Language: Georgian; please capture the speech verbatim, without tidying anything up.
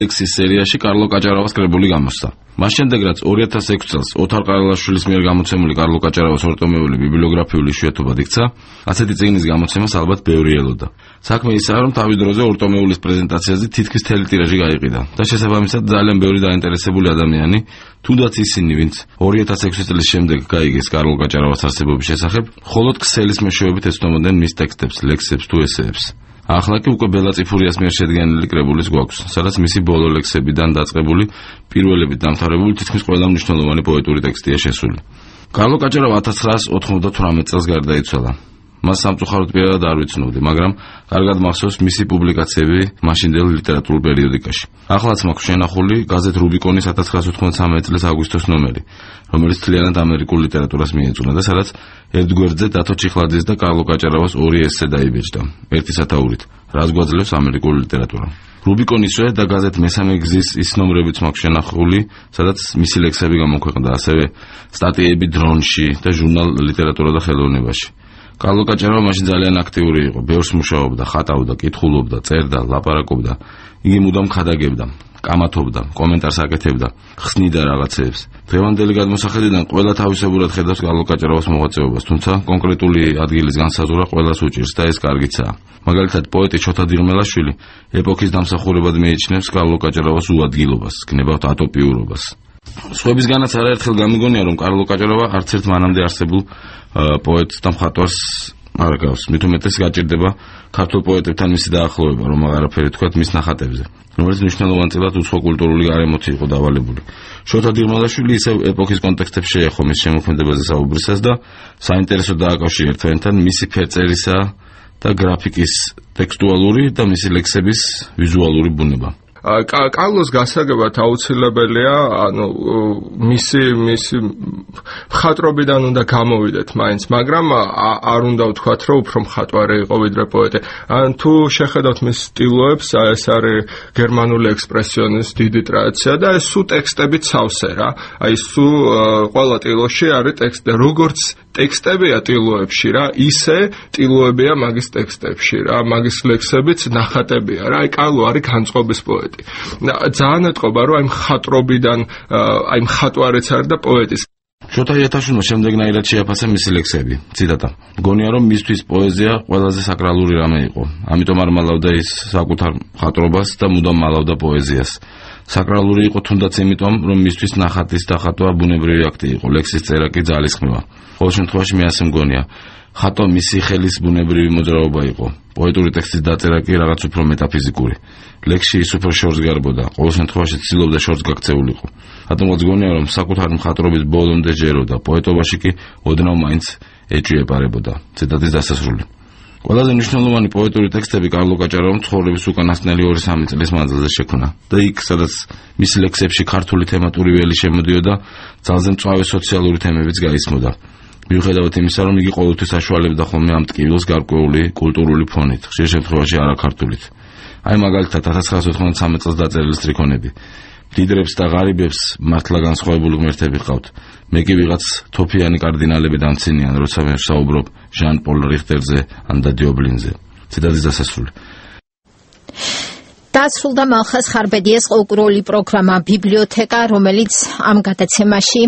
ლექსის სერიაში კარლო კაჭარავას კრებული გამოსცა. მას შემდეგ, რაც ორი ათას ექვსი წელს ოთარ ყარალაშვილის მიერ გამოცემული კარლო კაჭარავას ორტომეული ბიბლიოგრაფიული იშვიათობად იქცა, ასეთი წიგნის გამოცემას ალბათ ბევრი ელოდა. საქმე ისაა, რომ თავის დროზე ორტომეულის პრეზენტაციაზე თითქმის მთელი ტირაჟი გაიყიდა და შესაბამისად ძალიან ბევრი დაინტერესებული ადამიანი, თუნდაც ისინი, ვინც ორი ათას ექვსი წლის შემდეგ გაიგეს კარლო კაჭარავას არსებობის შესახებ, მხოლოდ ქსელის მეშვეობით ეცნობოდნენ მის ტექსტებს, ლექსებს თუ ესეებს. ახლა კი უკვე ბელა წიფურიას მიერ შედგენილი კრებულის გვაქვს, სადაც მისი ბოლო ლექსებიდან დაწყებული, პირველებით დამთავრებული თითქმის ყველა მნიშვნელოვანი პოეტური ტექსტია შესული. კარლო კაჭარავა ათას ცხრაას ოთხმოცდათვრამეტ წელს გარდაიცვალა. მას სამწუხაროდ პირადად არ ვიცნობდი, მაგრამ კარგად მახსოვს მისი პუბლიკაციები მაშინდელ ლიტერატურულ პერიოდიკაში. ახლაც მაქვს შენახული გაზეთ რუბიკონის ათას ცხრაას ოთხმოცდამეცი წლის აგვისტოს ნომერი, რომელიც მთლიანად ამერიკულ ლიტერატურას მიეძღვნა და სადაც ერთ გვერდზე დათო ჩიხლაძის და კარლო კაჭარავას ორი ესე დაიბეჭდა, ერთი სათაურით, რას გვაძლევს ამერიკული ლიტერატურა. რუბიკონისვე და გაზეთ მესამე გზის ის ნომრებიც მაქვს შენახული, სადაც მისი ლექსები გამოქვეყნდა, ასევე სტატიები დრონში და ჟურნალ ლიტერატურა და ხელოვნებაში. კარლო კაჭარავა მაშინ ძალიან აქტიური იყო, ბევრს მუშაობდა, ხატავდა, კითხულობდა, წერდა, ლაპარაკობდა, იგი მუდამ ხადაგებდა, კამათობდა, კომენტარს აკეთებდა, ხსნიდა რაღაცეებს. დღევანდელი გადმოსახედიდან ყველა თავისებურად ხედავს კარლო კაჭარავას მოღვაწეობას, თუმცა კონკრეტული ადგილის განსაზღვრა ყველას უჭირს და ეს კარგიცაა. მაგალითად, პოეტი შოთა დიღმელაშვილი ეპოქის დამსახურებად მიიჩნევს კარლო კაჭარავას უადგილობას, გნებავთ ატოპიურობას. სხვებისგანაც არაერთხელ გამიგონია, რომ კარლო კაჭარავა არც ერთ მანამდე არსებულ პოეტს და მხატვარს არ გავს. მით უმეტეს გაჭირდება ქართულ პოეტებთან მისი დაახლოვება, რომ აღარაფერი თქვათ მის ნახატებზე, რომელიც მნიშვნელოვანწილად უცხო კულტურული გარემოთი იყო დავალებული. შოთა დიღმელაშვილი ისევ ეპოქის კონტექსტებს შეეხო მის შემოქმედებაზე საუბრისას და საინტერესო დააკავშირა ერთმანეთთან მისი ფერწერისა და გრაფიკის ტექსტუალური და მისი ლექსების ვიზუალური ბუნება. კარლოს გასაგებად აუცილებელია, ანუ მისი მისი მხატვრობიდან უნდა გამოვიდეთ მაინც, მაგრამ არ უნდა ვთქვათ, რომ უფრო მხატვარი იყო ვიდრე პოეტი. ან თუ შეხედავთ მის სტილოებს, ეს არის გერმანული ექსპრესიონის დიდი ტრადიცია და ეს სუ ტექსტებით სავსე რა. აი სუ ყველა ტილოში არის ტექსტი, როგორც ტექსტებია ტილოებში რა, ისე ტილოებია მაგის ტექსტებში რა, მაგის ლექსებიც ნახატებია რა. აი კარლო არის განწყობის პოეტი. ძალიან ეტყობა, რომ აი მხატვრობიდან, აი მხატვარეც არის და პოეტის. შოთა იათაშვილმა შემდეგნაირად შეაფასა მისი ლექსები. ციტატა: "მგონია, რომ მისთვის პოეზია ყველაზე საკრალური რამე იყო. ამიტომ არ მალავდა ის საკუთარ მხატვრობას და მუდამ მალავდა პოეზიას. საკრალური იყო თუნდაც იმიტომ, რომ მისთვის ნახატის დახატვა ბუნებრივი აქტი იყო, ლექსის წერა კი ძალისხმევა. ყოველ შემთხვევაში მე ასე მგონია. ხატვა მისი ხელის ბუნებრივი მოძრაობა იყო. პოეტური ტექსტის დაწერა კი რაღაც უფრო მეტაფიზიკური. ლექსში ის უფრო შორს გარბოდა, ყოველ შემთხვევაში ცდილობდა შორს გაქცეულიყო. რატომღაც გონია, რომ საკუთარი მხატვრობის ბოლომდე ჯეროდა, პოეტობაში კი ოდნავ მაინც ეჭვიეპარებოდა." ციტატის დასასრული. ყველაზე მნიშვნელოვანი პოეტური ტექსტები კარლო კაჭარავამ ცხოვრების უკანასკნელი ორი სამი წლის მანძილზე შექმნა და იქ, სადაც მისი ლექსებში ქართული თემატური ველი შემოდიოდა, ძალზე მწვავე სოციალური თემებიც გაისმოდა. მიუხედავად იმისა, რომ იგი ყოველთვის აშუალებდა ხოლმე ამ ტკივილს გარკვეული კულტურული ფონით, ხშირ შემთხვევაში არაქართულით. აი მაგალითად ათას ცხრაას ოთხმოცდამეცი წელს დაწერილი სტრიქონები. მდიდრებს და ღარიბებს მართლა განსხვავებული ღმერთები ყავთ. მე კი ვიღაც თოფიანი კარდინალები დამცინიან, როცა მე ვსაუბრობ ჟან პოლ რიხტერზე ან და დიობლინზე. ციტატის დასასრული. დასრულდა მალხაზ ხარბედიას ყოლკურული პროგრამა ბიბლიოთეკა, რომელიც ამ გადაცემაში